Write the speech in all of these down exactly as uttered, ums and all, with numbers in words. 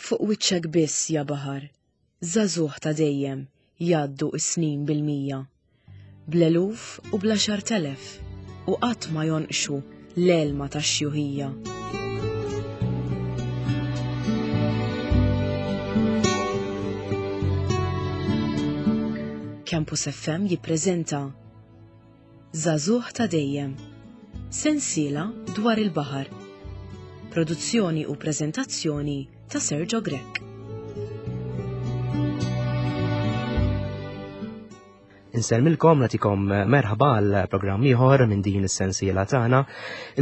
Fuq wiċċek biss, ja baħar, żagħżugħ ta' dejjem jgħaddu s-snin bil-mija. Bl-eluf u bl-għaxart elef u qatt ma jonqxu l-elma tax-xjuħija. Campus F M jippreżenta Żagħżugħ ta' dejjem, sensiela dwar il-baħar. Produzzjoni u preżentazzjoni ta' Sergio Grech. Insellmilkom, nagħtikom merħba għal programm ieħor minn din is-sensiela tagħna.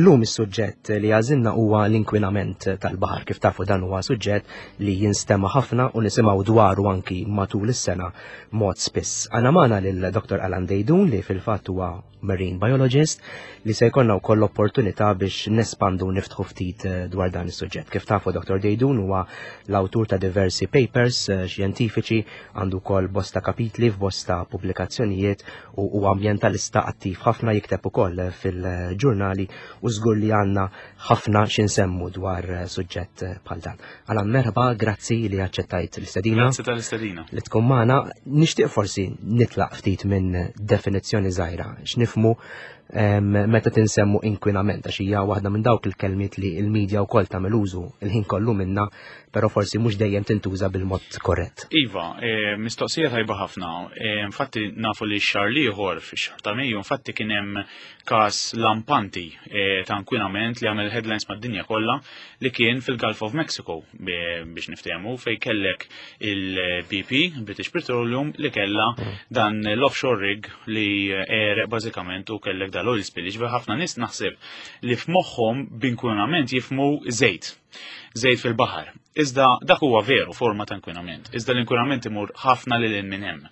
Illum is-suġġett li għażilna huwa l-inkwinament tal-baħar. Kif tafu dan huwa suġġett li jinstema' ħafna u nisimgħu dwaru anki matul is-sena mod spiss. Għandna magħna lil Doktor Alan Deidun li fil-fatt huwa marine biologist li se jkollna wkoll opportunità biex nespandu u niftħu ftit dwar dan is-suġġett. Kif tafu Doktor Deidun huwa l-awtur ta' diversi papers xjentifiċi, għandu wkoll bosta kapitli f'bosta pubblikazzjonijiet u huwa ambjentalista attiv ħafna, jikteb ukoll fil-ġurnali u żgur li għandna ħafna x'insemmu dwar suġġett bħal dan. Alan, merħba, grazzi li aċċettajt l-istedina. Grazzi tal-istedina. Li tkun magħna. Nixtieq forsi nitlaq ftit minn definizzjoni żgħira. X'nifhmu meta tinsemmu inkwinament, għax hija waħda minn dawk il-kelmiet li l-medja wkoll tagħmel użu il-ħin kollu minna, però forsi mhux dejjem tintuża bil-mod korrett. Iva, e, mistoqsija tajba ħafna. E, infatti nafu li x-xahar l-ieħor, fix-xahar ta' Mejju, infatti kien hemm każ lampanti, e, ta' inkwinament li għamel headlines mad-dinja kollha, li kien fil-Gulf of Mexico, biex niftehmu, fejn kellek il-B P, British Petroleum, li kellha dan l-offshore rig li għereq bażikament u kellek dal-oil spill. Ġifieri ħafna nies naħseb li f'moħħhom b'inkwinament jifhmu żejt, żejt fil-baħar. Iżda dak huwa veru forma ta' inkwinament. Iżda l-inkwinament imur ħafna lil hinn minn hemm.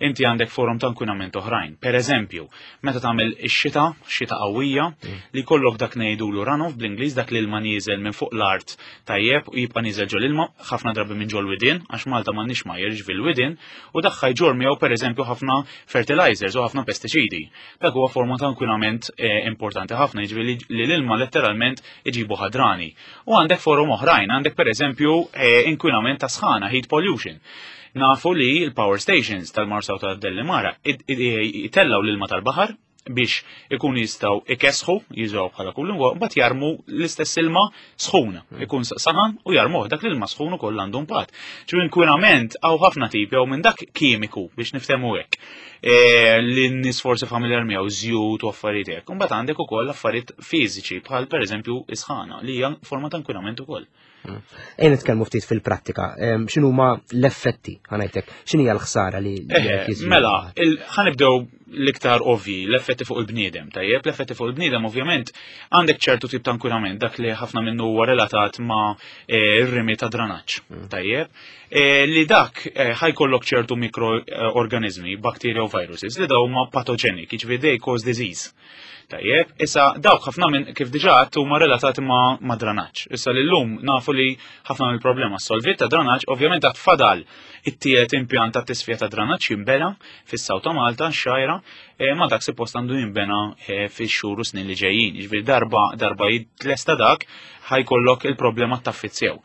Inti għandek forum ta' inkwinament oħrajn. Per eżempju, meta tagħmel ix-xita, xita qawwija, Mm. li jkollok dak ngħidulu runoff bl-Ingliż, dak li l-ilma nieżel minn fuq l-art tajjeb u jibqa' nieżel ġol ilma, ħafna drabi minn ġol widien, għax Malta m'għandniex ma jerġ fil-widien, u dak ħajġor miegħu pereżempju ħafna fertilizers u ħafna pestiċidi. Dak huwa forma ta' inkwinament, eh, importanti ħafna, jiġifieri li l-ilma letteralment iġibu ħadrani. U għandek forum oħrajn, għandek pereżempju, eh, inkwinament ta' sħana, heat pollution. Nafu li l-power stations tal-Marsa u tal-Delimara jitellaw l-ilma tal-baħar biex ikun jistgħu ikesħu, jużaw bħala cooling water, mbagħad jarmu l-istess ilma sħun, Mm. ikun saħan u jarmuh, dak l-ilma sħun ukoll għandu impatt. Ġifieri inkwinament hawn ħafna tipi, hawn minn dak kimiku biex niftehmu hekk. E, li n-nies forsi familjar miegħu żjut u affarijiet hekk. Imbagħad għandek ukoll affarijiet fiżiċi bħal pereżempju isħana li hija forma ta' inkwinament ukoll. Ejja nitkellmu ftit fil-prattika, em, x'inhuma l-effetti, ħanajtek, x'inhi l-ħsara li li Eh, qed jiżvilupp? Mela, il-, ħanibdew l-iktar ovvi, l-effetti fuq il-bniedem, tajjeb, l-effetti fuq il-bniedem ovvjament għandek ċertu tip ta' inkwinament, dak li ħafna minnu huwa relatat ma', eh, ir-rimi ta' dranaġġ, Mm. tajjeb, eh, li dak, eh, ħajkollok ċertu mikroorganizmi, bakterja u viruses, li daw huma patogenic, jiġifieri they cause disease. Tajjeb, issa dawk ħafna minn kif diġà għedt huma relatati ma', ma' dranaġġ. Issa li llum nafu li ħafna mill-problema solvit ta' dranaġġ, ovvjament għad fadal it-tielet impjant ta' tisfija ta' dranaġġ jinbena fis-Saw ta' Malta, x-Xgħajra, e, ma dak suppost għandu jinbena, e, fix-xhur u snin li ġejjin. Jiġifieri darba, darba jitlesta dak, ħajkollok il-problema taffizzew.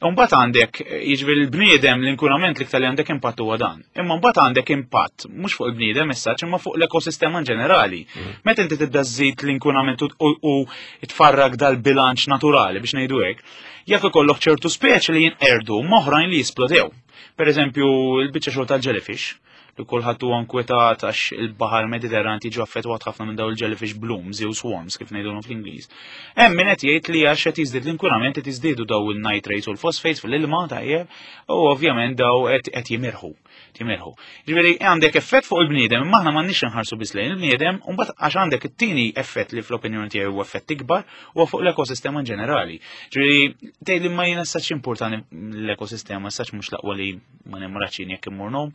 Imbagħad għandek, jiġifieri l-bniedem, l-inkwinament l-iktar li għandek impatt huwa dan. Imma mbagħad għandek impatt mhux fuq il-bniedem issa, imma fuq l-ekosistema in ġenerali. Mm. Meta inti tibda żżid l-inkwinament u, u, u tfarrak dal-bilanċ naturali biex ngħidu hekk, jekk ikollok ċertu speċi li jinqerdu m'oħrajn li jisplodew. Per eżempju, il-biċċa xogħol tal-jellyfish, li kulħadd huwa nkwetat għax il-baħar Mediterran jiġu affettwat ħafna minn dawn il-jellyfish blooms jew swarms kif ngħidulhom fl-Ingliż. Hemm min qed jgħid li għax qed jiżdied l-inkwinament qed jiżdiedu daw il-nitrates u l-phosphates fil-ilma tajjeb, u ovvjament daw qed, qed jimirħu, jimirħu. Ġifieri għandek effett fuq il-bniedem, imma aħna m'għandniex inħarsu biss lejn il-bniedem, u mbagħad għax għandek it-tieni effett li fl-opinjoni tiegħi huwa effett ikbar huwa fuq l-ekosistema in ġenerali. Ġifieri tgħid li ma jiena saċ importanti l-ekosistema, saċ mhux l-aqwa li ma nemraċin jekk immur nom.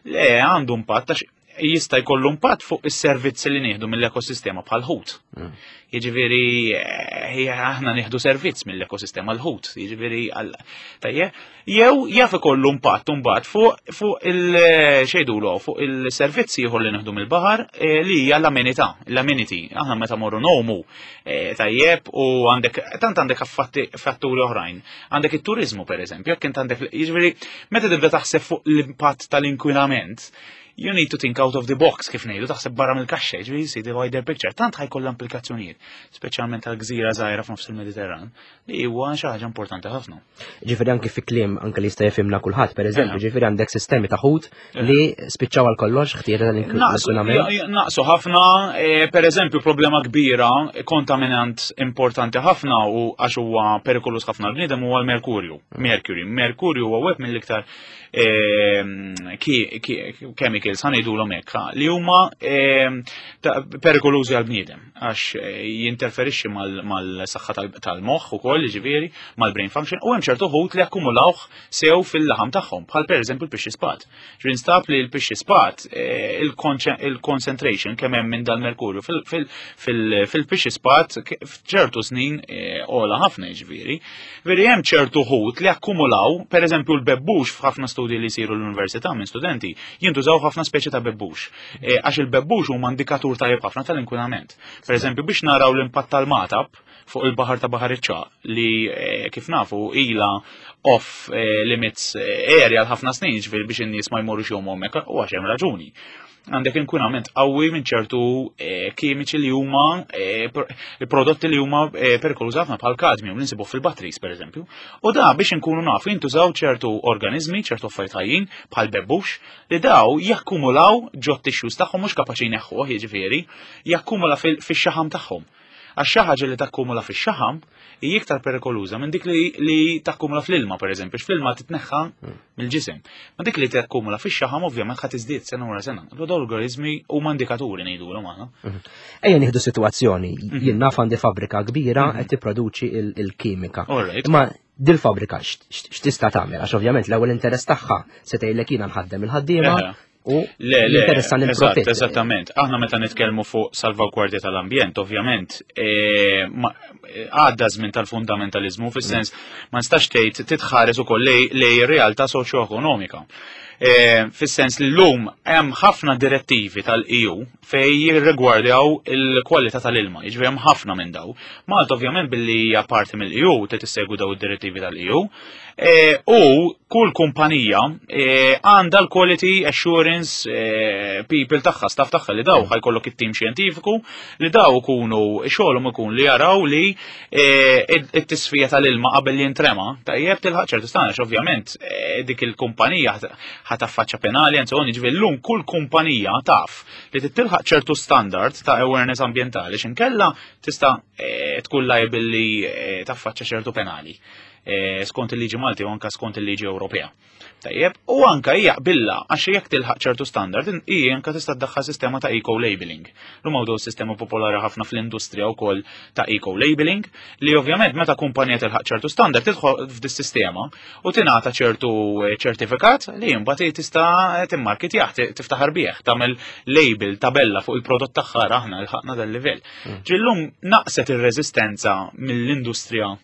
Le, għandu impatt għax Jista' jkollu impatt fuq is-servizzi li nieħdu mill-ekosistema bħal ħut. Mm. Jiġifieri eh, aħna nieħdu servizz mill-ekosistema l-ħut, jiġifieri għal tajjeb, jew jaf ikollu impatt imbagħad fuq fuq il xejdulu fuq il-servizzi ieħor li nieħdu mill-baħar eh, li hija l-amenità, l-amenity. Aħna meta morru ngħumu eh, tajjeb u għandek tant għandek affatti fatturi oħrajn. Għandek it-turizmu pereżempju, jekk int għandek jiġifieri meta tibda taħseb fuq l-impatt tal-inkwinament, you need to think out of the box kif ngħidu, taħseb barra mill-kaxxa, jiġifieri see the wider picture. Tant ħa jkollha implikazzjonijiet, speċjalment tal-gżira żgħira f'nofs il-Mediterran, li huwa xi ħaġa importanti ħafna. Ġifieri anki fi kliem anke li jista' jifhimna kulħadd, pereżempju, Eħe. ġifieri għandek sistemi ta' ħut li spiċċaw għal kollox ħtieġa Naqsu tal-inkwinament. naqsu ħafna, eh, per eżempju, problema kbira, kontaminant importanti ħafna u għax huwa perikolus ħafna l-bniedem huwa l-merkurju. Mercury. Merkurju huwa wieħed mill-iktar eh, ki- ki- chemicals ħa ngħidulhom hekk, ha, li huma eh, ta- perikolużi għal-bniedem għax eh, jinterferixxi mal- mal-saħħa tal- tal-moħħ ukoll, jiġifieri, mal-brain function, u hemm ċertu ħut li akkumulawh sew fil-laħam tagħhom, bħal pereżempju l-pixxi spat. Ġifieri nstab li l-pixxi spat eh, il-conce- il-concentration kemm hemm minn dal-merkurju fil-pixxi spat ke- f'ċertu snin eh, ogħla ħafna jiġifieri. Veri hemm ċertu ħut li akkumulaw, pereżempju l-bebbux f'ħafna studji li jsiru l-università minn studenti, jintużaw ħafna speċi ta' bebbux. Eh, Għax il-bebbux huma indikatur tajjeb ħafna tal-inkwinament. Per eżempju, biex naraw l-impatt tal-Magħtab fuq il-baħar ta' Baħar iċ-Ċagħaq li eh, kif nafu ila off eh, limits eh, area l-ħafna snin ġifieri biex in-nies ma jmorrux jgħumu hemmhekk u għax hemm raġuni. Għandek inkwinament qawwi minn ċertu eh, kimiċi li huma eh, pr- prodotti li huma eh, perikolużi ħafna bħal kadmium li nsibuh fil-batteries pereżempju. U da biex inkunu nafu jintużaw ċertu organizmi, ċertu affarijiet ħajjin bħal bebbux li daw jakkumulaw ġot tissues tagħhom mhux kapaċi jneħħuh jiġifieri, jakkumula fil- fix-xaħam tagħhom. Għax xi ħaġa li takkumula fix-xaħam hija iktar perikoluża minn dik li, li takkumula fl-ilma pereżempju, fl-ilma titneħħa mill-ġisem. Ma dik li takkumula fix-xaħam ovvjament ħa tiżdied sena wara sena. Dawn l-organizmi huma indikaturi ngħidulhom aħna. Ejja nieħdu sitwazzjoni, jien naf għandi fabbrika kbira qed tipproduċi il- il-kimika. All right. Imma dil-fabbrika x'tista' tagħmel? Għax ovvjament l-ewwel interess tagħha se tgħidlek jiena nħaddem il-ħaddiema Eħe. u Le, le, jinteressan eżatt, il-profitt. eżattament. Aħna meta nitkellmu fuq salvagwardja tal-ambjent, ovvjament, eh, ma- eh, għadda żmien tal-fundamentalizmu, fis-sens ma nistax tgħid titħares ukoll lej lej realtà soċjoekonomika. Eh, Fis-sens li llum hemm ħafna direttivi tal-E U fej jirrigwardjaw il-kwalità tal-ilma, jiġifieri hemm ħafna minn daw. Malta ovvjament billi hija parti mill-E U trid tissegwi daw id-direttivi tal-E U. Eh, U kull kumpanija eh, għandha l-quality assurance eh, people tagħha, staff tagħha li daw ħa jkollok it-tim xjentifiku li daw ikunu xogħolhom ikun li jaraw li eh, it-tisfija tal-ilma qabel li jintrema tajjeb tilħaq ċertu standards. Ovvjament eh, dik il-kumpanija ħa taffaċċa penali and so on, jiġifieri llum kull kumpanija taf li titilħaq ċertu standard ta' awareness ambjentali x'inkella tista' eh, tkun liable li eh, taffaċċa ċertu penali eh, skont il-liġi Malti u anka skont il-liġi Ewropea. Tajjeb, u anka hija billa għax jekk tilħaq ċertu standard, hija anka tista' tdaħħal sistema ta' eco-labeling. Lum hawn sistema popolari ħafna fl-industrija wkoll ta' eco-labeling li ovvjament meta kumpanija tilħaq ċertu standard tidħol f'dis sistema u tingħata ċertu eh, ċertifikat li imbagħad tista' timmarketjah, tiftaħar bih, tagħmel label, tabella fuq il-prodott tagħha aħna lħaqna dal-livell. Ġillum naqset ir-reżistenza mill-industrija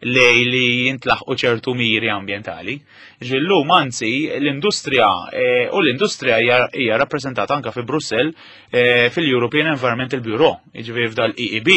lej li jintlaħqu ċertu miri ambjentali. Ġillum anzi l-industrija eh, u l-industrija hija hija rappreżentata anka fi Brussell eh, fil-European Environmental Bureau, jiġifieri f'dal E E B,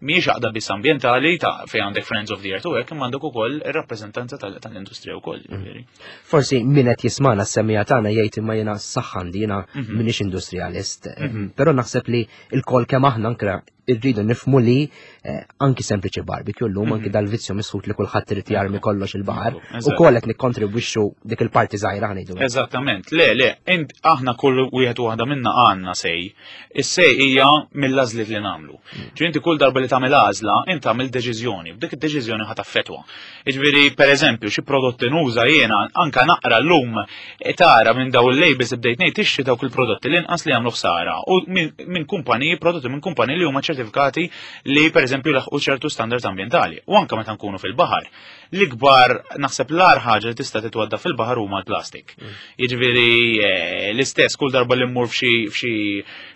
mhijiex għaqda biss ambjentali ta' fejn għandek Friends of the Earth u hekk, imma għandek ukoll ir-rappreżentanza tal- tal-industrija wkoll. Jiġifieri. Forsi min qed jismana s-semmiegħa tagħna jgħid imma jiena s-saħħa jiena Mhm. m'iniex industrialist. Però naħseb li il-kol kemm aħna anke irridu nifmu li eh, anki sempliċi barbecue llum anki dal-vizzju misħut li kulħadd irid jarmi kollox il-baħar Eżatt. u koll qed nikkontribwixxu dik il-parti żgħira ħa ngħidu. Eżattament, le, le, int aħna kull wieħed u waħda minna għandna say. Is-say hija mill-għażliet li nagħmlu. Ġi inti kull darba li tagħmel għażla, inti tagħmel deċiżjoni, b'dik id-deċiżjoni ħa taffettwa. Jiġifieri pereżempju xi prodotti nuża jiena anka naqra llum e, tara minn daw il-labels bdejt ngħid tixtri dawk il-prodotti l-inqas li jagħmlu ħsara u minn min kumpaniji prodotti minn kumpaniji li huma ċertifikati li pereżempju laħqu ċertu standards ambjentali. U anka meta nkunu fil-baħar. L-ikbar naħseb l-agħar ħaġa li tista' titwadda fil-baħar huma l-plastik. Jiġifieri eh, l-istess kull darba li mmur f'xi f'xi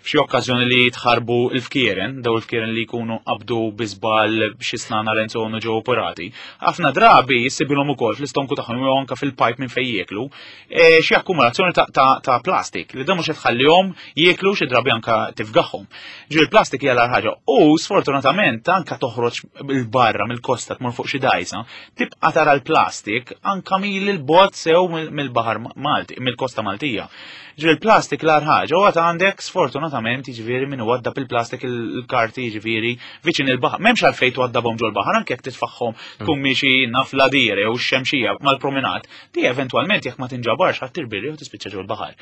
f'xi okkażjoni li jitħarbu l-fkieren, daw il-fkieren li jkunu qabdu bi żball b'xi snana lenzonu ġew operati. Ħafna drabi jissibilhom ukoll fl-istonku tagħhom jew anke fil-pipe minn fejn jieklu, eh, xi akkumulazzjoni ta', ta, ta' plastik li dan mhux qed tħallihom jieklu xi drabi anka tifgaħhom. Ġifieri il-plastik hija l ħaġa u sfortunatament anka toħroġ il-barra mill-kosta tmur fuq xi dgħajsa, tibqa' tara l-plastik anka mil il-bogħod sew mill- mill-baħar Malti, mill-kosta Maltija. Ġifieri il-plastik l ħaġa, u għad għandek sfortunatament jiġifieri min waddab il-plastik il-karti jiġifieri viċin il-baħar. M'hemmx għalfejn twaddabhom ġol-baħar anke jekk titfaħħom tkun miexi naf l-Għadira jew x-Xemxija mal-promenat, di eventwalment jekk ma tinġabarx ħadd tirbirri u tispiċċa ġol-baħar.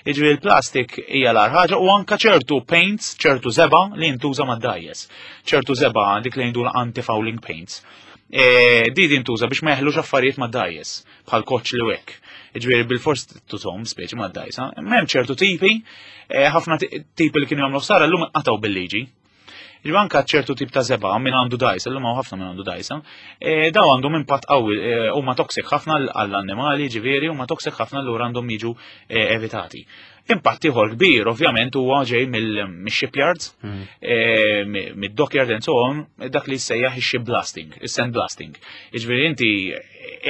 Jiġifieri il-plastik hija l ħaġa u anka ċertu paints, ċertu żebgħa li jintuża mad-dgħajjes. Ċertu żebgħa dik li jgħidulha anti-fouling paints. E, di jintuża biex ma jeħlux affarijiet mad-dgħajjes bħal koċ li hekk. Ġifieri bil-fors tużhom speċi mad-dgħajsa. M'hemm ċertu tipi, e, ħafna ti- tipi li kienu jagħmlu ħsara llum qatgħu bil-liġi. Ġifieri anka ċertu tip ta' żebgħa min għandu dgħajsa, llum hawn ħafna min għandu dgħajsa, e, daw għandhom impatt qawwi, e, huma toxic ħafna għall-annimali, ġifieri huma toxic ħafna allura għandhom jiġu e, evitati. Impatt ieħor kbir ovvjament huwa ġej mill-shipyards, eh, mid-dockyard and so on, dak li jissejjaħ ix-ship blasting, is-sand blasting. Jiġifieri inti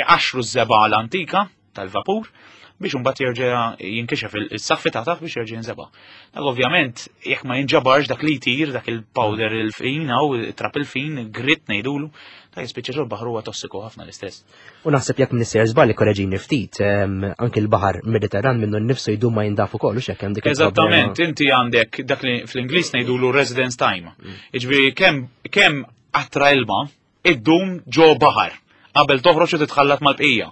iqaxru ż-żebgħa l-antika tal-vapur biex imbagħad jerġa' jinkixef il-saffi ta' taħt biex jerġa' jinżeba'. Dak ovvjament jekk ma jinġabarx dak li jtir, dak il-powder il-fin jew trap il-fin, grit ngħidulu, dak jispiċċa ġol baħar huwa tossiku ħafna l-istess. U naħseb jekk m'iniex sejjer żball korreġini ftit, em, anki l-baħar Mediterran minnu nnifsu jdum ma jindaf ukoll u x'hekk hemm dik il-problema. Eżattament, inti għandek dak li fl-Ingliż ngħidulu residence time. Jiġifieri kemm kemm qatra ilma iddum ġo baħar qabel toħroġ u titħallat mal-bqija.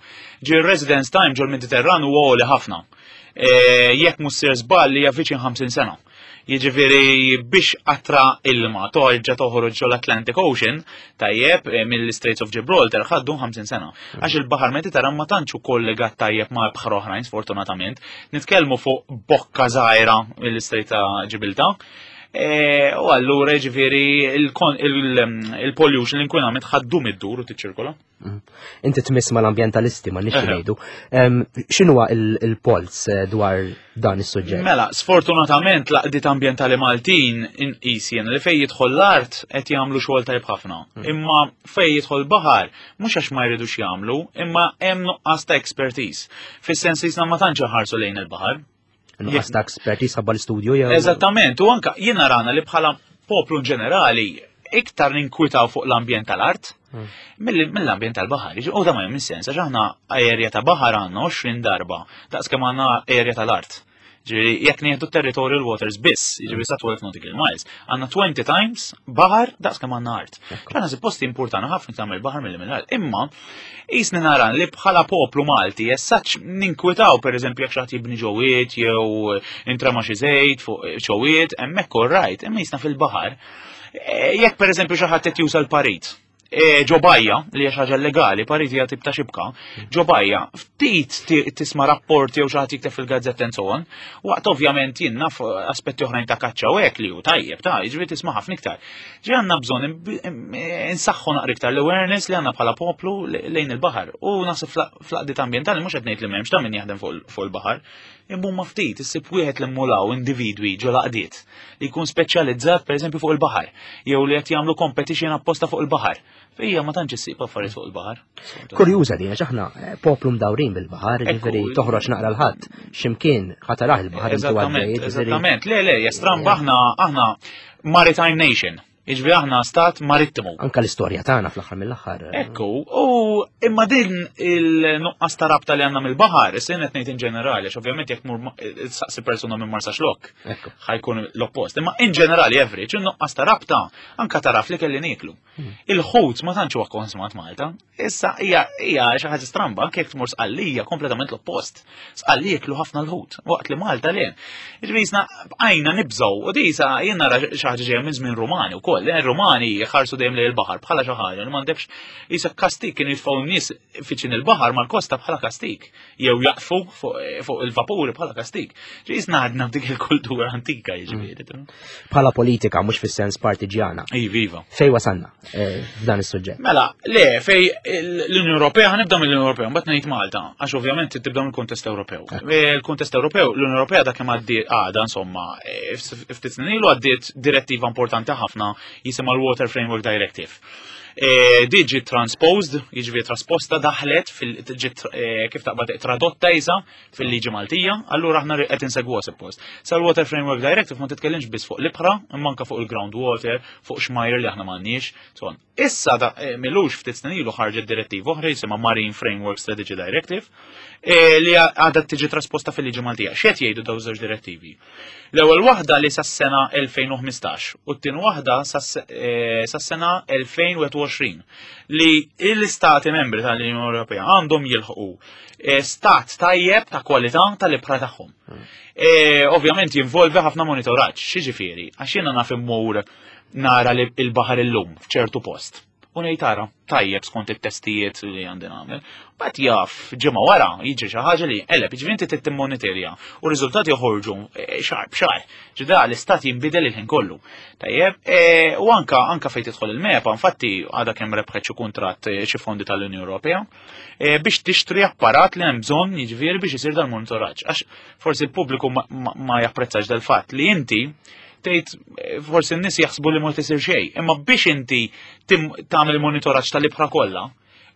Ġi residence time ġol Mediterran huwa għoli ħafna. E, Jekk mhux sejjer żball li hija viċin ħamsin sena. Jiġifieri biex qatra ilma torġa toħroġ ġol Atlantic Ocean, tajjeb eh, mill-Straits of Gibraltar ħa ddum ħamsin sena. Għax il-baħar Mediterran ma tantx ukoll legat tajjeb ma' bħar oħrajn sfortunatament. Nitkellmu fuq bokka żgħira mill-Strait ta' Ġibilta. E, U allura jiġifieri il-pollution, l-inkwinament ħa ddum iddur u tiċċirkola. Inti tmiss mal-ambjentalisti ma nix Eħe. ngħidu. Em, X'inhuwa il- il-polz eh, dwar dan is-suġġett? Mela, sfortunatament l-għaqdiet ambjentali Maltin inqis jien li fej jidħol l-art qed jagħmlu xogħol tajb ħafna. Imma fej jidħol baħar mhux għax ma jridux jagħmlu, imma hemm nuqqas ta' expertise. Fis-sens li jisna ma tantx ħarsu lejn il-baħar. Nuqqas ta' expertise ħabba l-istudju jew. Eżattament, u anka jiena rana li bħala poplu in ġenerali iktar ninkwitaw fuq l-ambjent tal-art mill- mill-ambjent tal-baħar. U da ma jagħmel sens, għax aħna area ta' baħar għandna għoxrin darba, daqs kemm għandna area tal-art. Ġifieri, jekk nieħdu territorial waters biss, jiġifieri sa twelve nautical miles, għandna twenty times baħar daqs kemm għandna art. Għandna suppost importana ħafna tagħmel baħar milli mill-art. Imma jisni nara li bħala poplu Malti jessaċ ninkwitaw pereżempju jekk xi ħadd jibni ġowiet jew intrema xi żejt fuq ġowiet, hemmhekk all right, imma jisna fil-baħar. Eh, Jekk pereżempju xi ħadd qed juża l-parit, e, ġo bajja, li hija xi ħaġa legali, parit hija tip ta' xibka, ġo bajja, ftit ti- tisma' rapporti jew xi ħadd jikteb fil-gazzetta and so on, waqt ovvjament jien naf aspetti oħrajn ta' kaċċa u hekk li hu tajjeb ta' jiġifieri tisma' ħafna iktar. Ġi għandna bżonn imb- im- insaħħu naqra iktar l-awareness li għandna bħala poplu le- lejn il-baħar. U naħseb fl-għaqdiet ambjentali mhux qed ngħid li m'hemmx ta' min jaħdem fuq il- fuq il-baħar, imma huma ftit issib wieħed li mmulaw individwi ġo l-għaqdiet li jkun speċjalizzat pereżempju fuq il-baħar jew li qed jagħmlu competition apposta fuq il-baħar. Fija ma tantx issib affarijiet fuq il-baħar. Kurjuża din, għax aħna eh, poplu mdawrin bil-baħar, Ekku. ġifieri toħroġ naqra l-ħadd, x'imkien ħa tarah il-baħar intu Eżattament, għaddej, ġifieri- eżattament. Le, le, jestramba aħna aħna maritime nation. Jiġifieri aħna stat marittimu. Anka l-istorja tagħna fl-aħħar mill-aħħar. eh, Ekku, u imma din il-nuqqas ta' rabta li għandna mill-baħar, issa qed ngħid in ġenerali, għax ovvjament jekk mur saqsi persuna minn Marsaxlokk, Ekku. ħa jkun l-oppost. Imma in ġenerali average, il-nuqqas ta' rabta anka taraf li kelli nieklu. Il-ħut ma tantx huwa konsumat Malta. Issa hija hija xi ħaġa stramba, anke jekk tmur Sqallija kompletament l-oppost. Sqallija jiklu ħafna l-ħut, waqt li Malta le. Jiġifieri jisna bqajna nibżgħu u di sa jien nara xi ħaġa ġejja minn żmien Rumani wkoll. wkoll. Ir-Rumani jħarsu dejjem lejn il-baħar bħala xi ħaġa li m'għandekx isa kastik, kienu jitfgħu n-nies fiċin il-baħar mal-kosta bħala kastik jew jaqfu fuq il-vapuri bħala kastik. Ġisna għadna b'dik il-kultura antika, jiġifieri. Bħala politika, mhux fis-sens partiġjana. Iva, iva. Fej wasanna eh, f'dan is-suġġett? Mela, le, fej l-Unjoni Ewropea, ħa nibda mill-Unjoni Ewropea, mbagħad ngħid Malta, għax ovvjament tibda mill-kuntest Ewropew. Il-kuntest Ewropew, l-Unjoni Ewropea dak kemm għaddiet għada, insomma, eh, ftit snin ilu għaddiet direttiva importanti ħafna jisimha l-Water Framework Directive. E, di ġiet transposed, jiġifieri trasposta, daħlet fil ġiet e, kif taqbad tradotta isa fil-liġi Maltija, allura aħna qed insegwu suppost. Sa l-Water Framework Directive ma titkellimx biss fuq l-ibħra, imma anke fuq il-groundwater, fuq xmajr li aħna m'għandniex. So on. Issa da e, m'ilux ftit snin ilu ħarġet direttiva oħra jisimha Marine Framework Strategy Directive e, li għadha tiġi trasposta fil-liġi Maltija. X'qed jgħidu daw żewġ direttivi? L-ewwel waħda li sas-sena elfejn u ħmistax u t-tieni waħda sas-sena elfejn u wieħed u għoxrin li l-istati membri tal-Unjoni Ewropea għandhom jilħqu eh, stat tajjeb ta' kwalità tal-ibħra tagħhom. E, Ovvjament jinvolvi ħafna monitoraġġ, x'jiġifieri, għax jiena naf immur nara li il-baħar illum f'ċertu post. U ngħid tara, tajjeb skont it-testijiet li għandi nagħmel. But jaf ġimgħa wara jiġri xi ħaġa li eleb, jiġifieri inti trid timmonitorja u r-riżultati joħorġu eh, xahar b'xahar. Ġida l-istat jinbidel il-ħin kollu. Tajjeb, eh, u anka anka fejn tidħol il-MEPA, infatti għadha kemm rebħet xi kuntratt, eh, xi fondi tal-Unjoni Ewropea eh, biex tixtri apparat li hemm bżonn, jiġifieri biex isir dal-monitoraġġ. Għax forsi l-pubbliku ma, ma, ma japprezzax dal-fatt li inti tgħid eh, forsi n-nies jaħsbu li ma tisir xejn, imma biex inti tim- tagħmel monitoraġġ tal-ibħra kollha,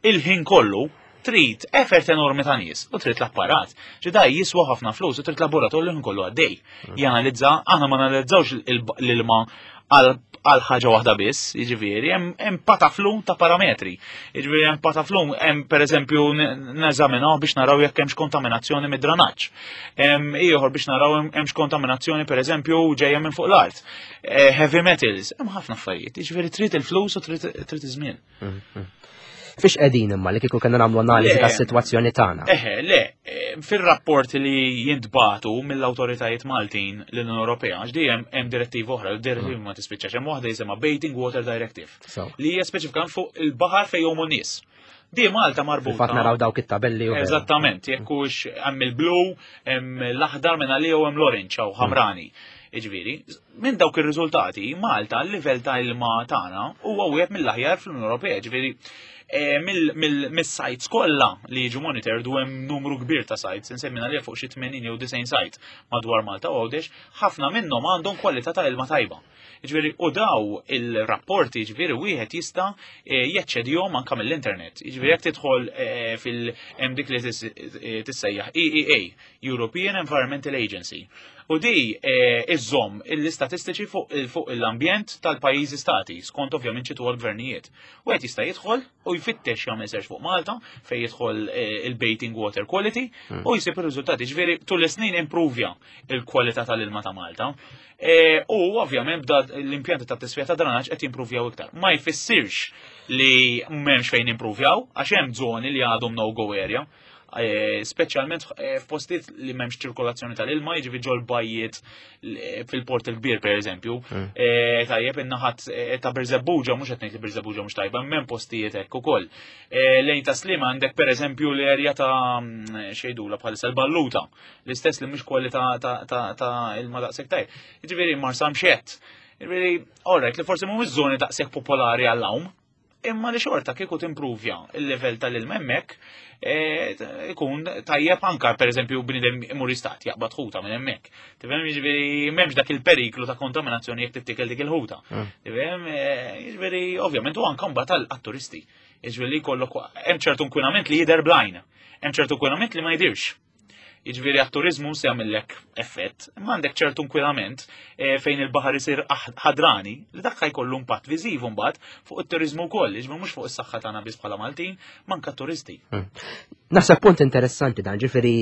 il-ħin kollu trid effort enormi ta' nies u trid l-apparat. Ġida jiswa ħafna flus u trid laboratorju li kollu għaddej. Janalizza, aħna ma analizzawx l-ilma għal għal ħaġa waħda biss, jiġifieri, hemm hemm pataflum ta' parametri. Jiġifieri hemm pataflum, hemm pereżempju neżaminaw biex naraw jekk hemmx kontaminazzjoni mid-dranaġġ. Hemm ieħor biex naraw hemmx kontaminazzjoni, pereżempju, ġejja minn fuq l-art. Eh, Heavy metals, hemm ħafna affarijiet. Jiġifieri trid il-flus u trid trid iż-żmien. Fiex qegħdin imma li kieku kellna nagħmlu analiżi Le. tas-sitwazzjoni tagħna? Eħe, le, eh, fil-rapporti li jintbatu mill-autoritajiet Maltin l-Unjoni Ewropea, għax dejjem hemm direttiva oħra, direttiva ma tispiċċax, hemm waħda jisimha Bathing Water Directive, So, li hija speċifikament fuq il-baħar fejn jgħumu nies. Di Malta marbuta. Fil-fatt naraw dawk it-tabelli u vera. Eżattament, jekk hux hemm il-blu, hemm l-aħdar minn għalija u hemm l-orange jew ħamrani. Jiġifieri, minn dawk ir-riżultati, Malta l-livell ta' ilma tagħna huwa wieħed mill-aħjar fl-Unjoni Ewropea, ġifieri eh, mill-sites kollha li jiġu monitored, u hemm numru kbir ta' sites, insemmina li fuq xi tmenin jew disgħin site madwar Malta u Għawdex, ħafna minnhom għandhom kwalità ta' ilma tajba. Ġifieri, u daw il-rapporti, ġifieri, wieħed jista' eh, jaċċedihom anka mill-internet. Ġifieri, jekk tidħol eh, fil hemm dik li tis- eh, tissejjaħ E E A, European Environmental Agency. U di eh, iżżomm l-istatistiċi fuq fuq l-ambjent tal-pajjiżi stati, skont ovvjament ċitu għal-gvernijiet. U qed jista' jidħol u jfittex, jagħmel search fuq Malta fejn jidħol eh, il-bathing water quality u jsib ir-riżultati. Ġifieri tul is-snin improvja il-kwalità tal-ilma ta' Malta. E, u ovvjament bda l-impjanti ta' tisfija ta' dranaġġ qed jimprovjaw iktar. Ma jfissirx li m'hemmx fejn improvjaw, għax hemm żoni li għadhom no-go area. E, speċjalment eh, f'postijiet li m'hemmx ċirkolazzjoni tal-ilma, jiġifieri ġol bajjiet l- fil-Port il-Kbir pereżempju. E, Tajjeb, in-naħat eh, ta' Birżebbuġa, mhux qed ngħid li Birżebbuġa mhux tajba, hemm postijiet hekk ukoll. E, Lejn ta' Slima għandek pereżempju l-erja ta' mm, xejdula bħalissa l-Balluta, l-istess li mhux kwalità ta' ta' ta' ilma daqshekk tajb. Jiġifieri Marsamxett. Jiġifieri, alright, li forsi mhumiex żoni daqshekk popolari għall-għawm, imma li xorta kieku timprovja il-level tal-ilma hemmhekk eh, ikun tajjeb anka pereżempju bniedem imur jistat jaqbad ħuta minn hemmhekk. Tifhem, jiġifieri m'hemmx dak il-periklu ta' kontaminazzjoni jekk tittikel dik il-ħuta. Tifhem, eh, jiġifieri ovvjament u anka mbagħad għall-turisti. Jiġifieri jkollok hemm ċertu inkwinament li jidher bl-għajn, hemm ċertu inkwinament li ma jidirx. Jiġifieri għat-turizmu se jagħmellek effett, imma għandek ċertu inkwinament eh, fejn il-baħar isir aħ- ħadrani li dak jkollu impatt viżiv mbagħad fuq it-turizmu wkoll, jiġifieri mhux fuq is-saħħa tagħna biss bħala Maltin, manka turisti. Naħseb punt interessanti dan, ġifieri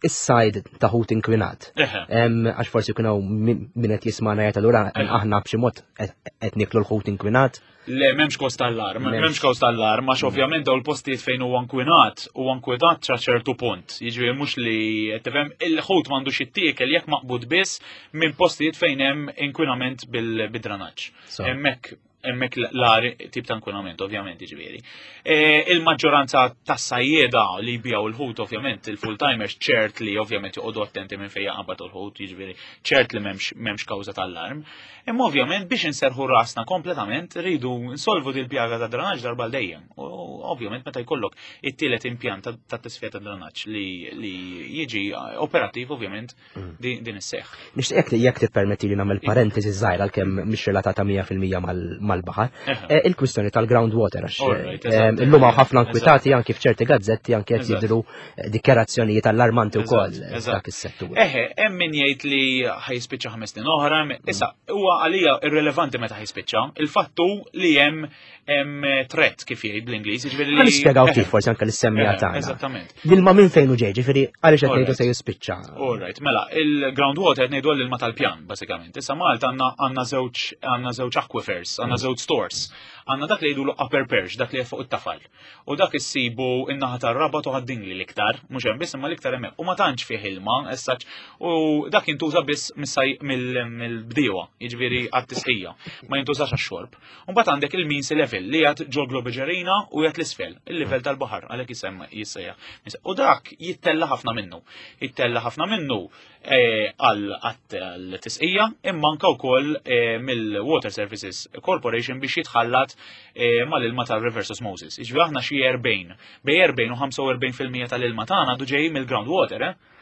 is-sajd ta' ħut inkwinat. Eħe. Em, Għax forsi jkun hawn min min qed jismana jgħid allura aħna b'xi mod qed qed niklu l-ħut inkwinat. Le, m'hemmx cause tal-alarm, m'hemmx cause tal-alarm, għax ovvjament daw il-postijiet fejn huwa inkwinat, huwa inkwinat sa ċertu punt. Jiġifieri mhux li tifhem il-ħut m'għandux jittiekel jekk maqbud biss minn postijiet fejn hemm inkwinament bil-dranaġġ. Hemmhekk hemmhekk l-agħar tip ta' inkwinament, ovvjament, jiġifieri. E, il-maġġoranza tas-sajjeda li jbigħu il-ħut, ovvjament, il-full-timers ċert li ovvjament joqogħdu attenti minn fejn jaqbad il-ħut, jiġifieri ċert li m'hemmx m'hemmx kawża tal-alarm. Imma ovvjament biex inserħu rasna kompletament rridu nsolvu dil pjaga ta' dranaġġ darba dejjem. U ovvjament meta jkollok it-tielet impjant ta' tisfija ta' dranaġġ li li jiġi operattiv ovvjament din din isseħħ. Nixtieq li jekk tippermetti li nagħmel parentesi żgħira għalkemm mhix relatata mija fil-mija mal-baħar. Eħe. Eh, Il-kwistjoni tal-groundwater għax Alright, eh, eżatt. illum hawn ħafna inkwitati anki f'ċerti gazzetti anki qed Eżatt. jidhru eh, dikjarazzjonijiet allarmanti wkoll Eżatt, eżatt. f'dak is-settur. Eħe, hemm min jgħid li ħa jispiċċa ħames snin oħra, hemm- issa huwa għalija irrelevanti meta ħa jispiċċa. Il-fattu li hemm hemm threat kif jgħid bl-Ingliż, jiġifieri li Ħa nispjegaw Eħe, kif forsi anke lis-semmiegħa eħe, tagħna. Eżattament. L-ilma minn fejn hu ġej, ġifieri għaliex qed ngħidu Alright. se jispiċċa. All right, mela, il-groundwater qed ngħidu l-ilma tal-pjan, basikament. Issa Malta għandna għandna żewġ għandna żewġ aquifers, għandna żewġ stores. Għandna dak li jgħidu upper perch, dak li fuq it-tafal. U dak issibu in-naħa tar-Rabat u Ħad-Dingli l-iktar, mhux hemm biss imma l-iktar hemmhekk. U ma tantx fih ilma, issa u dak jintuża biss mis-saj- mill- mill-bdiewa, jiġifieri għat-tisqija, ma jintużax għax-xorb. U mbagħad għandek il-mean sea level li qiegħed ġol Globigerina u qiegħed l-isfel, il-livell tal-baħar, għalhekk jisem jissejjaħ. U dak jittella ħafna minnu. Jittella ħafna minnu eh, għal għat-tisqija imma anka wkoll eh, mill-Water Services Corporation biex jitħallat eh, mal-ilma tal-reverse osmosis. Jiġifieri aħna xi erbgħin, bejn erbgħin u ħamsa u erbgħin fil-mija tal-ilma tagħna għadu ġej mill-groundwater, eh?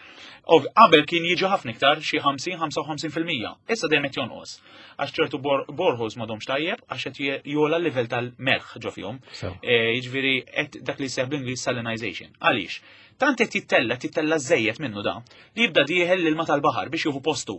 Ov- Qabel kien jiġi ħafna iktar, xi ħamsin ħamsa u ħamsin fil-mija. Issa dejjem qed jonqos. Għax ċertu bor- boreholes m'għadhomx tajjeb għax qed je- jogħla l-livell tal-melħ ġo fihom. So. Eh, Jiġifieri qed dak li jsejjaħ bl-Ingliż salinization. Għaliex? Tant qed jittella, tittella żejjed minnu da, li jibda dieħel l-ilma tal-baħar biex jieħu postu.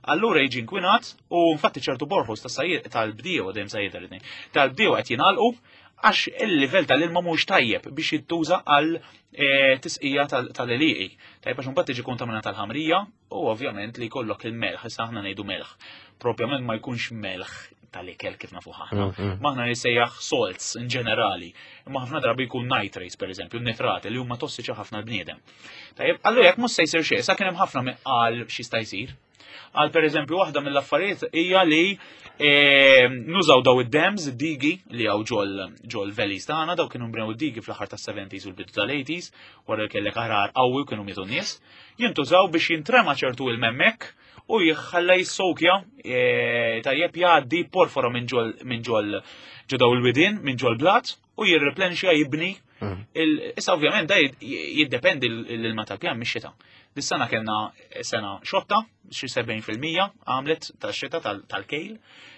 Allura jiġi inkwinat u infatti ċertu boreholes tas-sajjed tal-bdiewa dejjem sajjed tal tal-bdiewa qed jingħalqu għax il-livell tal-ilma mhux tajjeb biex jittuża għal eh, tisqija tal-għelieqi. Tajjeb għax imbagħad tiġi kontaminata tal-ħamrija u ovvjament li jkollok il-melħ, issa aħna ngħidu melħ. Propjament ma jkunx melħ tal-ikel kif nafu aħna. Mm, mm. Aħna jissejjaħ salts in ġenerali. Imma ħafna drabi jkun nitrates, per eżempju, nitrati li huma tossiċi ħafna l-bniedem. Tajjeb, allura jekk mhux se jsir xejn, sa kien hemm ħafna min qal x'jista' jsir. Għal per eżempju, waħda mill-affarijiet hija li eh, nużaw daw id-dams, id-digi li hawn ġol ġol valleys tagħna, daw kienu nbnew id-digi fl-aħħar tas-seventies u l-bidu tal-eighties, wara li kellek għargħar qawwi u kienu mietu n-nies, jintużaw biex jintrema ċertu il-memmek u jħalla jissokja eh, tajjeb jgħaddi porfora minn ġol minn ġol ġo daw il-widien, minn ġol blat u jirreplenxja jibni. Mm. Il- Issa ovvjament da jid- jiddependi l-ilma tal-pjan mix-xita. Dis-sena kellna sena xotta, xi sebgħin fil-mija għamlet tax-xita tal- tal-kejl.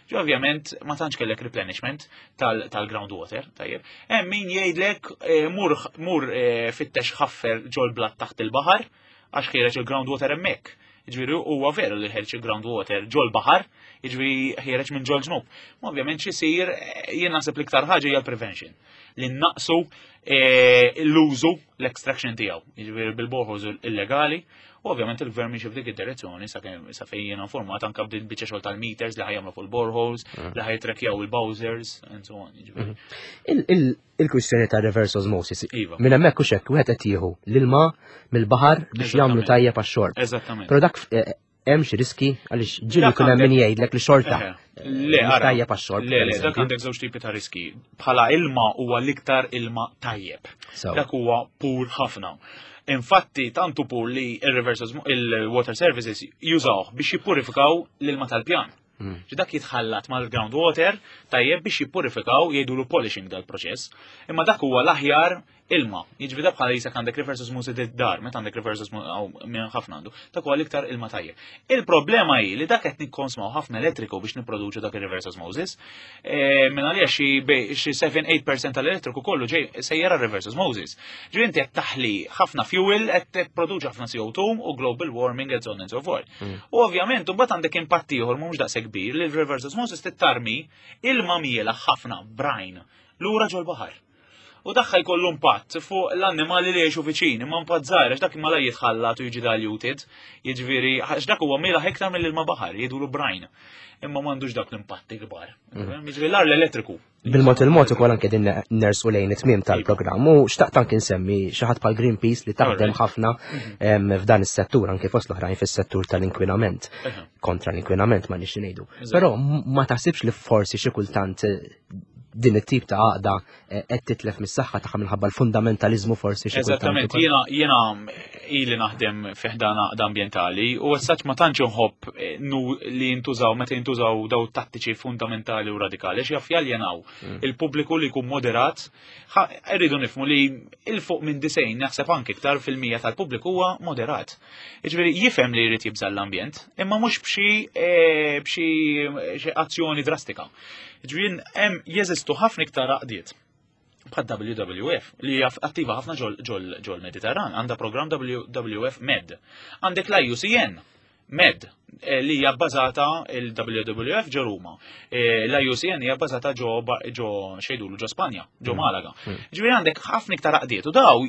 Ġi ovvjament ma tantx kellek replenishment tal- tal-groundwater, tajjeb. Hemm min jgħidlek eh, mur mur eh, fittex ħaffer ġol blat taħt il-baħar għax ħiereġ il-groundwater hemmhekk. Jiġifieri huwa veru li ħereġ il-groundwater ġol baħar, jiġifieri ħiereġ minn ġol ġnub. Ma ovvjament x'isir eh, jien naħseb l-iktar ħaġa hija l-prevention. Li naqsu eh, l-użu l-extraction tiegħu, jiġifieri bil-boreholes illegali, u ovvjament il-gvern miexi f'dik id-direzzjoni sa kemm sa fejn jiena informat anke b'din biċċa xogħol tal-meters li ħa jagħmlu fuq il-boreholes, li ħa jitrekjaw il-bowsers and so on. Jiġifieri. Il- il- Il-kwistjoni ta' reverse osmosis. Iva. Minn hemmhekk u xekk wieħed qed jieħu l-ilma mill-baħar biex jagħmlu Eżattament. tajjeb għax-xorb. Eżattament. Però dak eh, hemm xi riski għaliex ġieli Dak jkun hemm min għandek- jgħidlek li xorta. Eħe. Le, mhux ara. tajjeb għax-xorb. Le, le, dak pereżempju. għandek żewġ tipi ta' riski. Bħala ilma huwa l-iktar ilma tajjeb. So. Dak huwa pur ħafna. Infatti, tantu pur li il-reverse osmo- il-water services jużawh biex jippurifikaw l-ilma tal-pjan. Mm. Ġi dak jitħallat mal-groundwater tajjeb biex jippurifikaw jgħidulu polishing dal-proċess. Imma dak huwa l-aħjar ilma. Jiġifieri da bħala jisek għandek reverse osmosis id-dar, meta għandek reverse osmosis aw minn ħafna għandu, dak huwa l-iktar ilma tajjeb. Il-problema hi li dak qed nikkonsmaw ħafna elettriku biex nipproduċu dak il-reverse osmosis. E, Minn għalija xi bej- xi seba'-tmienja fil-mija tal-elettriku kollu ġej sejjera reverse osmosis. Ġifieri inti qed taħli ħafna fuel, qed tipproduċi ħafna C O two u global warming and so on and so forth. U ovvjament, mbagħad għandek impatt ieħor mhux daqshekk kbir li l-reverse osmosis tittarmi ilma miela ħafna brine lura ġol baħar. U daħħa jkollu impatt fuq l-annimali li jgħixu viċin, imma impatt żgħir għax dak imma la jitħallat u jiġi diluted, jiġifieri għax dak huwa mielaħ iktar mill-ilma baħar, jgħidulu brine. Imma m'għandux dak l-impatti kbar. Jiġifieri l-ar l-elettriku. Bil-mod il-mod ukoll anke din nersu lejn it-tmiem tal-programm u xtaqt anke nsemmi xi ħadd bħal Greenpeace li taħdem ħafna f'dan is-settur anke fost l-oħrajn fis-settur tal-inkwinament. Kontra l-inkwinament ma nix ngħidu. Però ma taħsibx li forsi xi kultant din it-tip ta' għaqda qed titlef mis-saħħa tagħha minħabba l-fundamentaliżmu forsi xi kultant. Eżattament, jiena jiena ili naħdem fi ħdan għaqda ambjentali u essaċ ma tantx inħobb li jintużaw meta jintużaw daw tattiċi fundamentali u radikali għax jaf jaljenaw il-pubbliku li jkun moderat. Irridu nifhmu li il fuq minn disgħin naħseb anke iktar fil-mija tal-pubbliku huwa moderat. Jiġifieri jifhem li jrid jibża' l-ambjent, imma mhux b'xi b'xi azzjoni drastika. Ġifieri hemm jeżistu ħafna iktar għaqdiet bħal W W F li hija attiva ħafna ġol Mediterran, għandha programm W W F Med. Għandek l I U C N Med li hija bbażata il-W W F ġo Ruma. L I U C N hija bbażata ġo ġo xejdulu ġo Spanja, ġo Malaga. Ġifieri għandek ħafna iktar għaqdiet u daw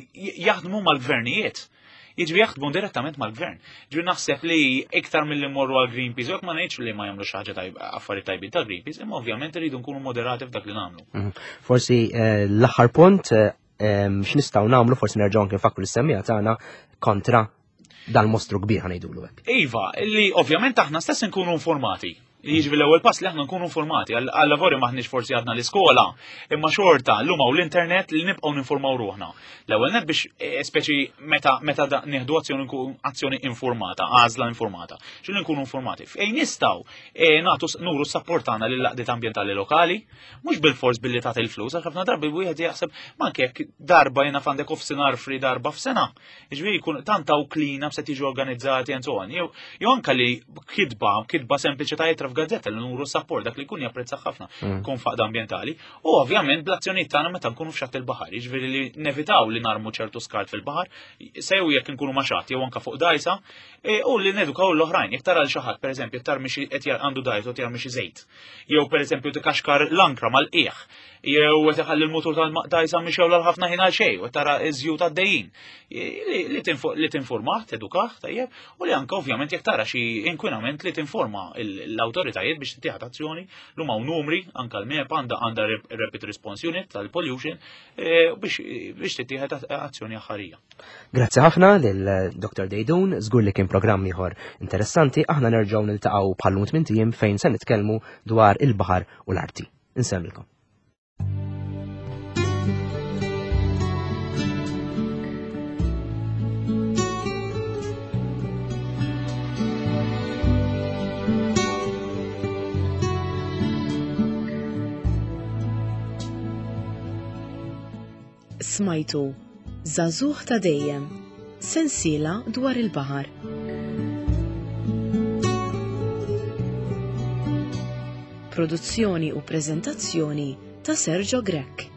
jaħdmu mal-gvernijiet. Jiġifieri jaħdmu direttament mal-gvern. Ġifieri naħseb li iktar milli mmorru għal Greenpeace, jekk ma ngħidx li ma jagħmlu xi ħaġa tajba, affarijiet tajbin ta' Greenpeace, imma ovvjament irridu nkunu moderati f'dak li nagħmlu. Forsi l-aħħar punt, x'nistgħu nagħmlu, forsi nerġgħu anke nfakru lis-semmiegħa tagħna kontra dal-mostru kbir ħanejdulu hekk. Iva, li ovvjament aħna stess nkunu informati. Jiġifieri l-ewwel pass li aħna nkunu informati, għal lavori maħniex forsi għadna l-iskola, imma xorta llum hawn l-internet li nibqgħu ninformaw ruħna. L-ewwel net biex, eh, speċi meta, meta da-, nieħdu azzjoni nkun azzjoni informata, għażla informata. X'inhu nkunu informati? Fejn nistgħu, eh, nagħtu s-, nuru s-sapport tagħna lill-għaqdiet ambjentali lokali, mhux bil-fors billi tagħti l-flus, għax ħafna drabi wieħed jaħseb ma anke jekk darba jiena f'għandek offsinar free darba f'sena. Jiġifieri jkun tant hawn clean ups qed jiġu organizzati and so on. Jew, jew anke li kitba, kitba sempliċi ta' jitra f'gazzetta li nuru support dak li jkun japprezza ħafna kun faqda ambjentali. U ovvjament bl-azzjonijiet tagħna meta nkunu f'xatt il-baħar, jiġifieri li nevitaw li narmu ċertu skart fil-baħar, sew jekk nkunu ma' xatt jew anke fuq dajsa, e, u li nedukaw l-oħrajn. Jekk tara l xi ħadd pereżempju tarmi xi qed jar-, għandu dajsa u tarmi xi żejt, jew pereżempju tikaxkar l-ankra mal-qiegħ, jew qed iħalli l-mutur tal-dajsa mixew l ħafna ħin għal xejn, u tara iż-żjut għaddejjin. Li, li tinfo-, li tinformah, tedukah, tajjeb, u li anke ovvjament jekk tara xi inkwinament li tinforma l-, l-awtoritajiet biex tittieħed azzjoni. Lum hawn numri, anke l-MEPA għandha, għandha rep-, Rapid Response Unit tal-Pollution, eh, biex, biex tittieħed a-, azzjoni aħħarija. Grazzi ħafna lil Doktor Deidun, żgur li kien programm ieħor interessanti. Aħna nerġgħu niltaqgħu bħal-lum tmien ijiem fejn se nitkellmu dwar il-baħar u l-arti. Insemmilkom. Smajtu Żagħżugħ ta' Dejjem, sensiela dwar il-baħar. Produzzjoni u preżentazzjoni ta' Sergio Grech.